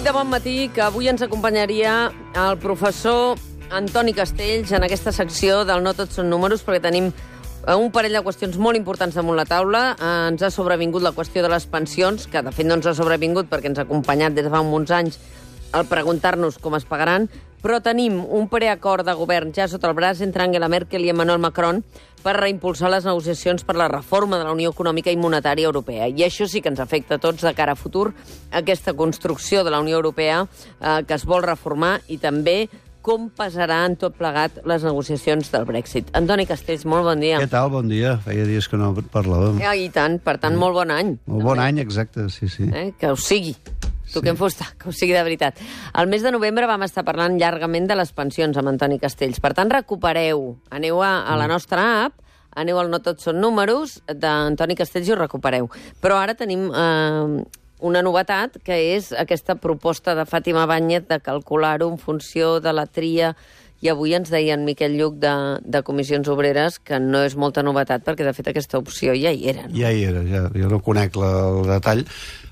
de bon matí que avui ens acompanyaria el professor Antoni Castells en aquesta secció del No tots són números, perquè tenim un parell de qüestions molt importants damunt la taula. Ens ha sobrevingut la qüestió de les pensions, que de fet no ens ha sobrevingut perquè ens ha acompanyat des de fa uns anys al preguntar-nos com es pagaran, però tenim un preacord de govern ja sota el braç entre Angela Merkel i Emmanuel Macron per reimpulsar les negociacions per la reforma de la Unió Econòmica i Monetària Europea. I això sí que ens afecta a tots de cara a futur, aquesta construcció de la Unió Europea que es vol reformar i també com pesarà en tot plegat les negociacions del Brexit. Antoni Castells, molt bon dia. Què tal? Bon dia. Feia dies que no parlàvem. I tant, per tant, molt bon any. Molt bon any, exacte, sí. Que us sigui. Tu que em fosta, que ho sigui de veritat. El mes de novembre vam estar parlant llargament de les pensions amb Antoni Castells. Per tant, recupereu. Aneu a la nostra app, aneu al No tots són números d'Antoni Castells i ho recupereu. Però ara tenim una novetat, que és aquesta proposta de Fàtima Báñez de calcular-ho en funció de la tria. I avui ens deia en Miquel Lluc de Comissions Obreres que no és molta novetat, perquè de fet aquesta opció ja hi era. No? Ja hi era, ja. Jo no conec el detall.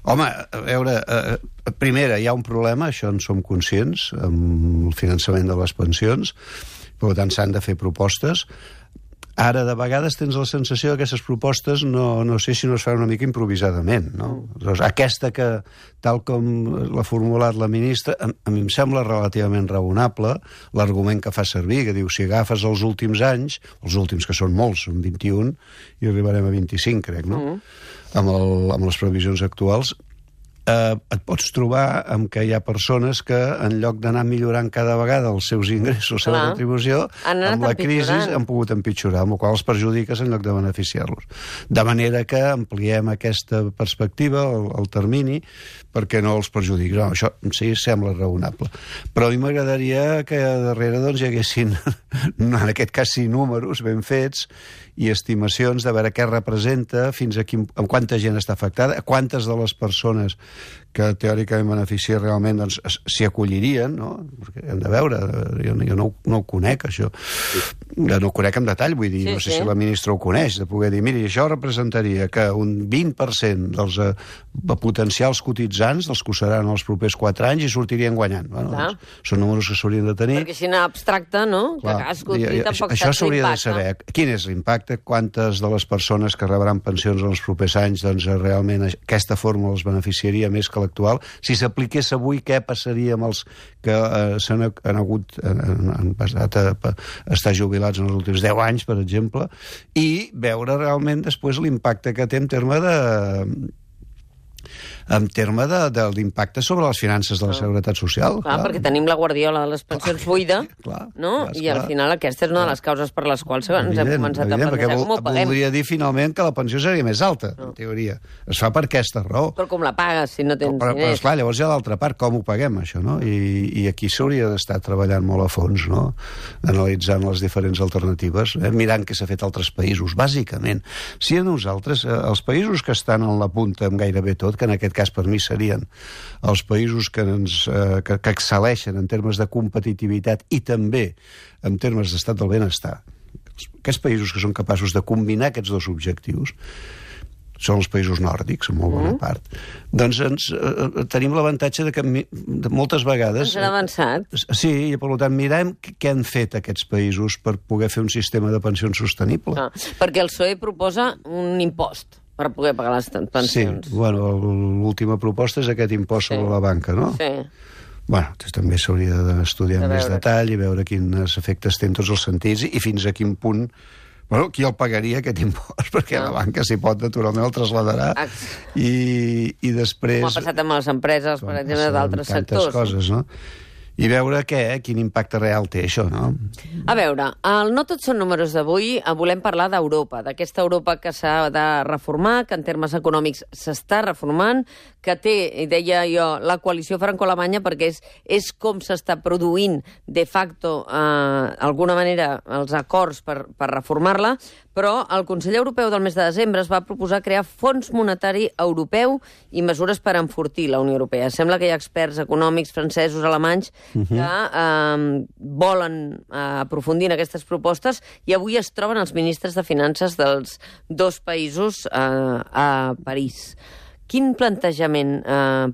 Home, a veure, primera, hi ha un problema, això en som conscients, amb el finançament de les pensions, per tant s'han de fer propostes. Ara, de vegades, tens la sensació que aquestes propostes no sé si no es fan una mica improvisadament, no? Doncs aquesta que, tal com l'ha formulat la ministra, a mi em sembla relativament raonable l'argument que fa servir, que diu, si agafes els últims anys, els últims que són molts, són 21, i arribarem a 25, crec, no? Amb les previsions actuals, et pots trobar amb que hi ha persones que, en lloc d'anar millorant cada vegada els seus ingressos, la seva retribució, amb la crisi han pogut empitjorar, amb la qual els perjudiques en lloc de beneficiar-los. De manera que ampliem aquesta perspectiva, el termini, perquè no els perjudiqui. No, això sí sembla raonable. Però a mi m'agradaria que darrere doncs, hi haguessin, en aquest cas sí, números ben fets i estimacions de veure què representa, fins a amb quanta gent està afectada, quantes de les persones que teòricament beneficia realment doncs, s'hi acollirien, no? Perquè hem de veure, jo no ho conec, això. No ho conec en detall, vull dir, no sé si la ministra ho coneix, de poder dir, miri, això representaria que un 20% dels potencials cotitzants, dels que ho seran els propers 4 anys, i sortirien guanyant. Bueno, doncs, són números que s'haurien de tenir. Perquè si no abstracte, no? Clar, això s'hauria de saber. Quin és l'impacte? Quantes de les persones que rebran pensions en els propers anys, doncs realment aquesta fórmula els beneficiaria més que l'actual? Si s'apliqués avui, què passaria amb els que han passat a estar jubilats en els últims 10 anys, per exemple, i veure realment després l'impacte que té en terme de l'impacte sobre les finances de la Seguretat Social. Clar, perquè tenim la guardiola de les pensions buida, no? I al final aquesta és una de les causes per les quals ens hem començat a plantejar com ho paguem. Voldria dir finalment que la pensió seria més alta, en teoria. Es fa per aquesta raó. Però com la pagues si no tens diners? Però esclar, llavors hi ha l'altra part, com ho paguem, això, no? I aquí s'hauria d'estar treballant molt a fons, no? Analitzant les diferents alternatives, mirant què s'ha fet a altres països, bàsicament. Si a nosaltres, els països que estan en la punta amb gairebé tot, que en aquest cas per mi serien els països que excel·leixen en termes de competitivitat i també en termes d'estat del benestar, aquests països que són capaços de combinar aquests dos objectius són els països nòrdics, en molt bona part. Doncs tenim l'avantatge de que moltes vegades... Ens han avançat. Sí, i per tant mirem què han fet aquests països per poder fer un sistema de pensions sostenible. Perquè el PSOE proposa un impost per poder pagar les pensions. Sí, bueno, l'última proposta és aquest impost sobre la banca, no? Sí. Bueno, també s'hauria d'estudiar amb més detall i veure quins efectes té en tots els sentits i fins a quin punt... Bueno, qui el pagaria, aquest impost? Perquè la banca, si pot, naturalment el trasladarà i després... Com ha passat amb les empreses, per exemple, d'altres sectors. Tantes coses, no? I veure quin impacte real té això, no? A veure, el No tots són números d'avui, volem parlar d'Europa, d'aquesta Europa que s'ha de reformar, que en termes econòmics s'està reformant, que té, deia jo, la coalició franco-alemanya, perquè és com s'està produint de facto, d'alguna manera, els acords per reformar-la, però el Consell Europeu del mes de desembre es va proposar crear Fons Monetari Europeu i mesures per enfortir la Unió Europea. Sembla que hi ha experts econòmics francesos, alemanys, que volen aprofundir en aquestes propostes i avui es troben els ministres de Finances dels dos països a París. Quin plantejament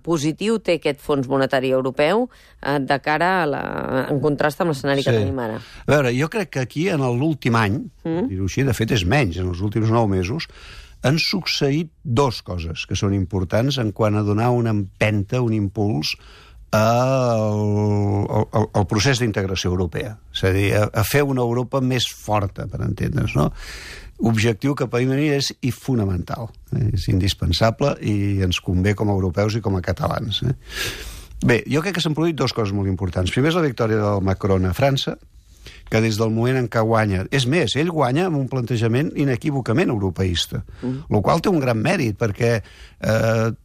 positiu té aquest Fons Monetari Europeu de cara en contrast amb l'escenari que tenim ara? A veure, jo crec que aquí, en l'últim any, dir-ho així, de fet és menys, en els últims 9 mesos, han succeït 2 coses que són importants en quant a donar una empenta, un impuls al procés d'integració europea. És a dir, a fer una Europa més forta, per entendre's, no? Objectiu que per mi és fonamental. És indispensable i ens convé com a europeus i com a catalans. Bé, jo crec que s'han produït 2 coses molt importants. Primer és la victòria del Macron a França, que des del moment en què guanya... És més, ell guanya amb un plantejament inequívocament europeista, el qual té un gran mèrit, perquè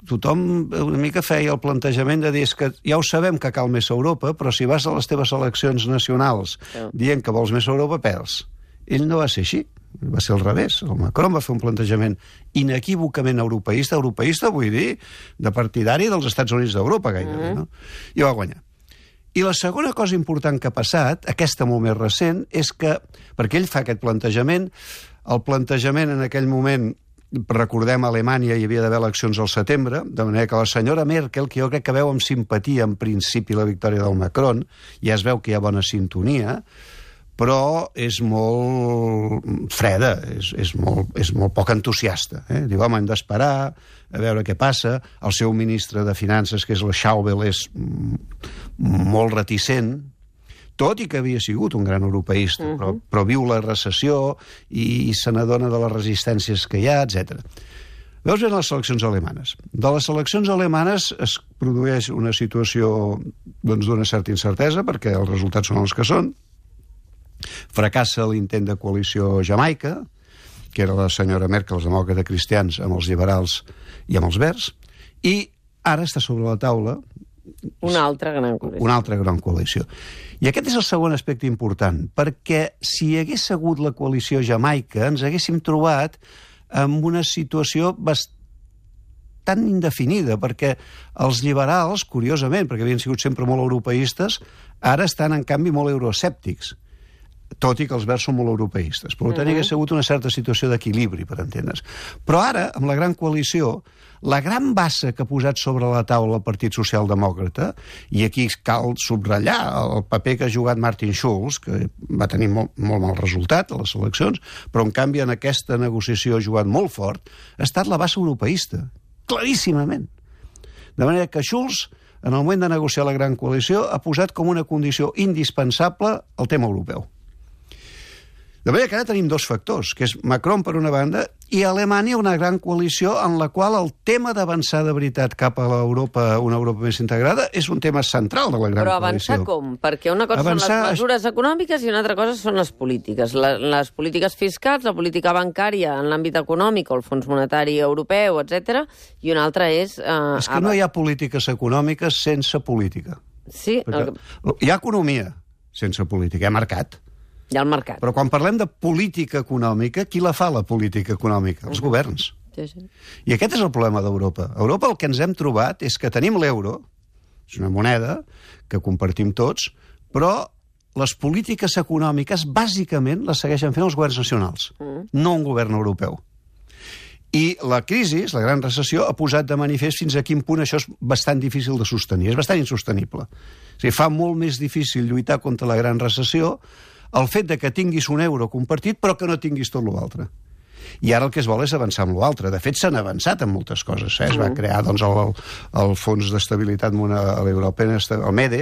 tothom una mica feia el plantejament de dir que ja ho sabem que cal més Europa, però si vas a les teves eleccions nacionals dient que vols més Europa, perds. Ell no va ser així, va ser al revés. El Macron va fer un plantejament inequívocament europeista, vull dir, de partidari dels Estats Units d'Europa, gairebé, no? I va guanyar. I la segona cosa important que ha passat, aquesta molt més recent, és que, perquè ell fa aquest plantejament, el plantejament en aquell moment, recordem, a Alemanya hi havia d'haver eleccions al setembre, de manera que la senyora Merkel, que jo crec que veu amb simpatia en principi la victòria del Macron, ja es veu que hi ha bona sintonia, però és molt freda, és molt poc entusiasta. Diu, home, hem d'esperar a veure què passa. El seu ministre de Finances, que és la Schäuble, és molt reticent, tot i que havia sigut un gran europeista, però viu la recessió i se n'adona de les resistències que hi ha, etc. Veus bé les eleccions alemanes. De les eleccions alemanes es produeix una situació d'una certa incertesa, perquè els resultats són els que són. Fracassa l'intent de coalició Jamaica, que era la senyora Merkel, els demòcrates cristians, amb els liberals i amb els verds, i ara està sobre la taula una altra gran coalició. I aquest és el segon aspecte important, perquè si hi hagués hagut la coalició Jamaica, ens haguéssim trobat en una situació bastant indefinida, perquè els liberals, curiosament, perquè havien sigut sempre molt europeistes, ara estan, en canvi, molt euroescèptics, tot i que els verds són molt europeistes. Per tant, hi ha sigut una certa situació d'equilibri, per entendre's. Però ara, amb la gran coalició, la gran bassa que ha posat sobre la taula el Partit Socialdemòcrata, i aquí cal subratllar el paper que ha jugat Martin Schulz, que va tenir molt mal resultat a les eleccions, però en canvi en aquesta negociació ha jugat molt fort, ha estat la bassa europeista, claríssimament. De manera que Schulz, en el moment de negociar la gran coalició, ha posat com una condició indispensable el tema europeu. De manera que ara tenim 2 factors, que és Macron per una banda i Alemanya una gran coalició en la qual el tema d'avançar de veritat cap a una Europa més integrada és un tema central de la gran coalició. Però avançar com? Perquè una cosa són les mesures econòmiques i una altra cosa són les polítiques. Les polítiques fiscals, la política bancària en l'àmbit econòmic o el Fons Monetari Europeu, etc. I una altra és... És que no hi ha polítiques econòmiques sense política. Sí. Hi ha economia sense política, hi ha mercat. Hi ha el mercat. Però quan parlem de política econòmica, qui la fa, la política econòmica? Els governs. Sí. I aquest és el problema d'Europa. A Europa el que ens hem trobat és que tenim l'euro, és una moneda que compartim tots, però les polítiques econòmiques bàsicament les segueixen fent els governs nacionals, no un govern europeu. I la crisi, la gran recessió, ha posat de manifest fins a quin punt això és bastant difícil de sostenir. És bastant insostenible. O sigui, fa molt més difícil lluitar contra la gran recessió el fet de que tinguis un euro compartit però que no tinguis tot l'altre. I ara el que es vol és avançar amb l'altre. De fet, s'han avançat en moltes coses. Es va crear el Fons d'Estabilitat Europea, el MEDE,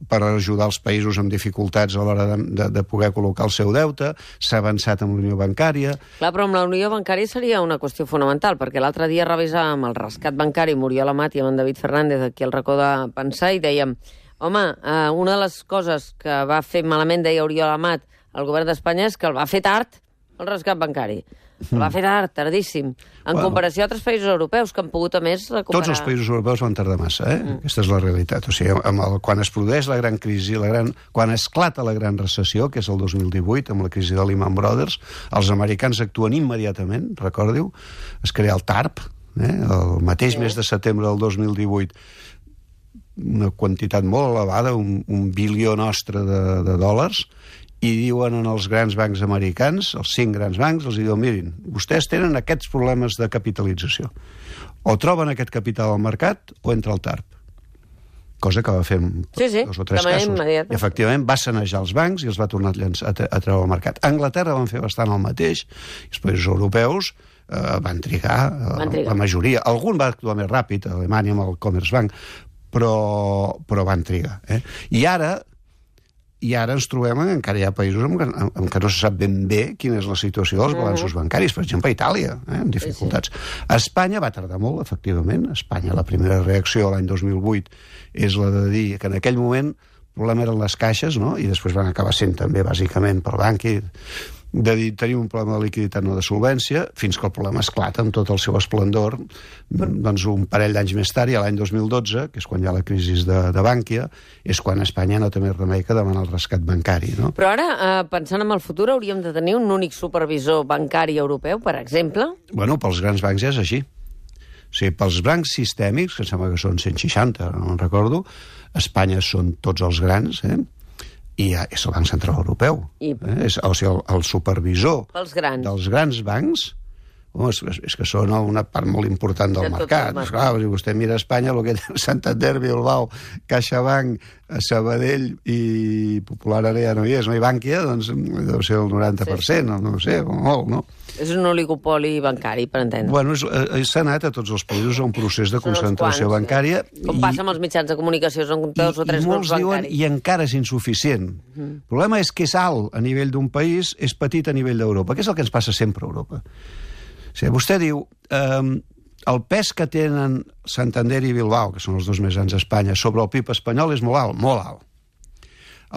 per ajudar els països amb dificultats a l'hora de poder col·locar el seu deute. S'ha avançat amb la Unió Bancària. Clar, però amb la Unió Bancària seria una qüestió fonamental, perquè l'altre dia revisàvem el rescat bancari, Muriel Amat i amb en David Fernández aquí al racó de pensar, i dèiem, home, una de les coses que va fer malament, deia Oriol Amat, el govern d'Espanya, és que el va fer tard, el rescat bancari. El va fer tard, tardíssim, en comparació a altres països europeus que han pogut, a més, recuperar... Tots els països europeus van tardar massa, Aquesta és la realitat. O sigui, quan es produeix la gran crisi, quan esclata la gran recessió, que és el 2018, amb la crisi de Lehman Brothers, els americans actuen immediatament, recordiu, es crea el TARP, el mateix mes de setembre del 2018, una quantitat molt elevada, un bilió nostre de dòlars, i diuen als grans bancs americans, els 5 grans bancs, els diuen, mirin, vostès tenen aquests problemes de capitalització. O troben aquest capital al mercat o entra al TARP. Cosa que va fer en 2 o 3 casos. I, efectivament, va sanejar els bancs i els va tornar a treure al mercat. A Anglaterra van fer bastant el mateix, i els països europeus van trigar, la majoria. Algun va actuar més ràpid, a Alemanya amb el Commerzbank, però van trigar. I ara ens trobem que encara hi ha països en què no se sap ben bé quina és la situació dels balanços bancaris. Per exemple, a Itàlia, amb dificultats. A Espanya va tardar molt, efectivament. A Espanya la primera reacció l'any 2008 és la de dir que en aquell moment el problema eren les caixes, no? I després van acabar sent també, bàsicament, pel banc, de dir, tenim un problema de liquiditat, no de solvència, fins que el problema esclata amb tot el seu esplendor, doncs un parell d'anys més tard, i l'any 2012, que és quan hi ha la crisi de Bànquia, és quan Espanya no té més remei que demanar el rescat bancari, no? Però ara, pensant en el futur, hauríem de tenir un únic supervisor bancari europeu, per exemple? Bueno, pels grans bancs ja és així. O sigui, pels bancs sistèmics, que em sembla que són 160, no en recordo, Espanya són tots els grans, i és el Banc Central Europeu. O sigui, el supervisor dels grans bancs, és que són una part molt important del mercat. Clar, si vostè mira a Espanya, el que té Santander, Bilbao, CaixaBank, Sabadell i Popular ara ja no hi és, no? I Bànquia, doncs deu ser el 90%, no ho sé, molt, no? És un oligopoli bancari, per entendre. Bueno, s'ha anat a tots els països a un procés de concentració bancària. Com passa amb els mitjans de comunicació, són 2 o 3 grups bancaris. I encara és insuficient. El problema és que és alt a nivell d'un país, és petit a nivell d'Europa, que és el que ens passa sempre a Europa. O sigui, vostè diu, el pes que tenen Santander i Bilbao, que són els 2 més grans d'Espanya, sobre el PIB espanyol és molt alt, molt alt.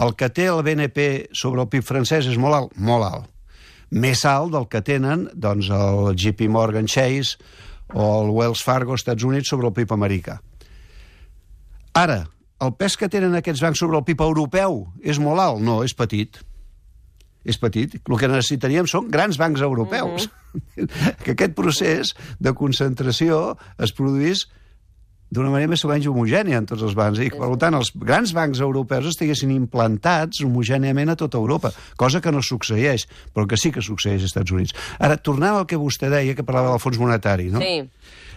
El que té el BNP sobre el PIB francès és molt alt, molt alt. Més alt del que tenen doncs, el JP Morgan Chase o el Wells Fargo als Estats Units sobre el PIB americà. Ara, el pes que tenen aquests bancs sobre el PIB europeu és molt alt? No, és petit. És petit. El que necessitaríem són grans bancs europeus. Que aquest procés de concentració es produís d'una manera més o menys homogènia en tots els bancs. I, per tant, els grans bancs europeus estiguessin implantats homogèniament a tota Europa, cosa que no succeeix, però que sí que succeeix als Estats Units. Ara, tornant al que vostè deia, que parlava del Fons Monetari, no? Sí.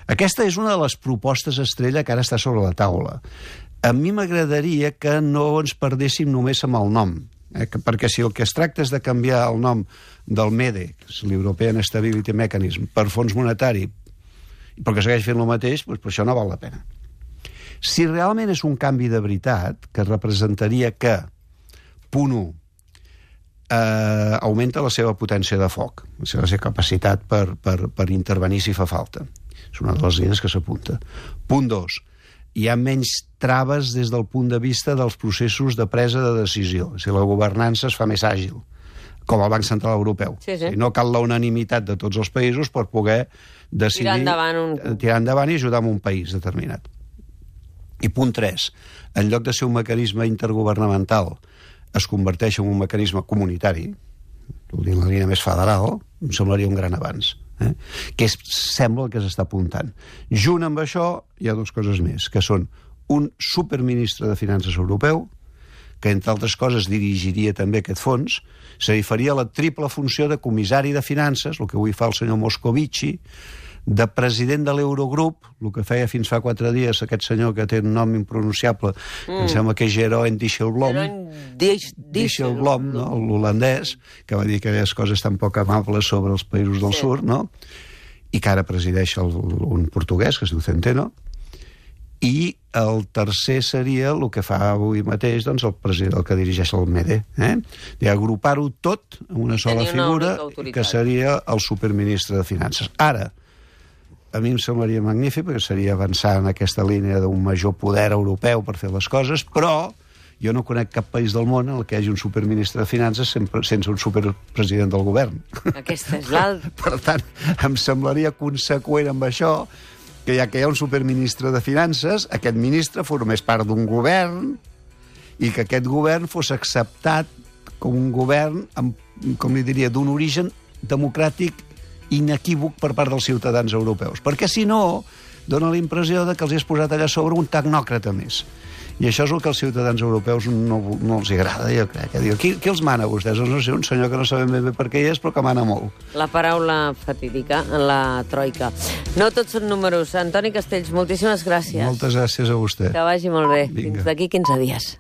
Aquesta és una de les propostes estrella que ara està sobre la taula. A mi m'agradaria que no ens perdéssim només amb el nom, perquè si el que es tracta és de canviar el nom del MEDE, que és l'European Stability Mechanism, per Fons Monetari, perquè segueix fent el mateix, doncs per això no val la pena. Si realment és un canvi de veritat, que representaria que, punt 1, augmenta la seva potència de foc, la seva capacitat per intervenir si fa falta. És una de les línies que s'apunta. Punt 2, hi ha menys traves des del punt de vista dels processos de presa de decisió. O sigui, la governança es fa més àgil, com el Banc Central Europeu. Sí. No cal la unanimitat de tots els països per poder decidir tirar endavant i ajudar en un país determinat. I punt 3, en lloc de ser un mecanisme intergovernamental, es converteix en un mecanisme comunitari, en la línia més federal, em semblaria un gran avanç. Que sembla el que s'està apuntant. Junt amb això hi ha 2 coses més, que són un superministre de Finances europeu, que entre altres coses dirigiria també aquest fons, és a dir, faria la triple funció de comissari de finances, el que avui fa el senyor Moscovici, de president de l'Eurogrup, el que feia fins fa 4 dies aquest senyor que té un nom impronunciable, em sembla que és Jeroen Dijsselbloem, no? L'holandès, que va dir aquelles coses tan poc amables sobre els països del sud, no? I que ara presideix un portuguès, que es diu Centeno, i el tercer seria el que fa avui mateix doncs, el president, el que dirigeix el MEDE, d'agrupar-ho tot en una sola figura, que seria el superministre de Finances. Ara, a mi em semblaria magnífic, perquè seria avançar en aquesta línia d'un major poder europeu per fer les coses, però jo no conec cap país del món en què hi hagi un superministre de Finances sense un superpresident del govern. Aquesta és l'altra. Per tant, em semblaria conseqüent amb això que ja que hi ha un superministre de Finances, aquest ministre formés part d'un govern i que aquest govern fos acceptat com un govern, com li diria, d'un origen democràtic inequívoc per part dels ciutadans europeus. Perquè si no, dona la impressió que els has posat allà sobre un tecnòcrata més. I això és el que als ciutadans europeus no els agrada, jo crec. Diu, qui els mana, vostès? Doncs no sé, un senyor que no sabem ben bé per què hi és, però que mana molt. La paraula fatídica, la troika. No tots són números. Antoni Castells, moltíssimes gràcies. Moltes gràcies a vostè. Que vagi molt bé. Vinga. Fins d'aquí 15 dies.